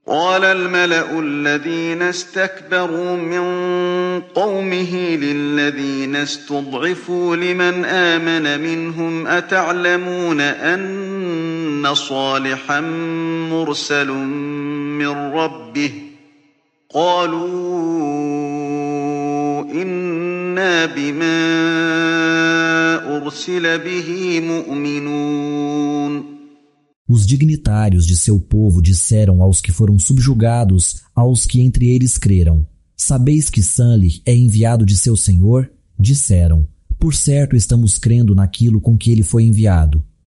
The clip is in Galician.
قال الملأ الذين استكبروا من قومه للذين استضعفوا لمن آمن منهم أتعلمون أن صالحا مرسل من ربه قالوا إنا بما أرسل به مؤمنون. Os dignitários de seu povo disseram aos que foram subjugados, aos que entre eles creram: Sabeis que Sânlih é enviado de seu Senhor? Disseram: Por certo estamos crendo naquilo com que ele foi enviado.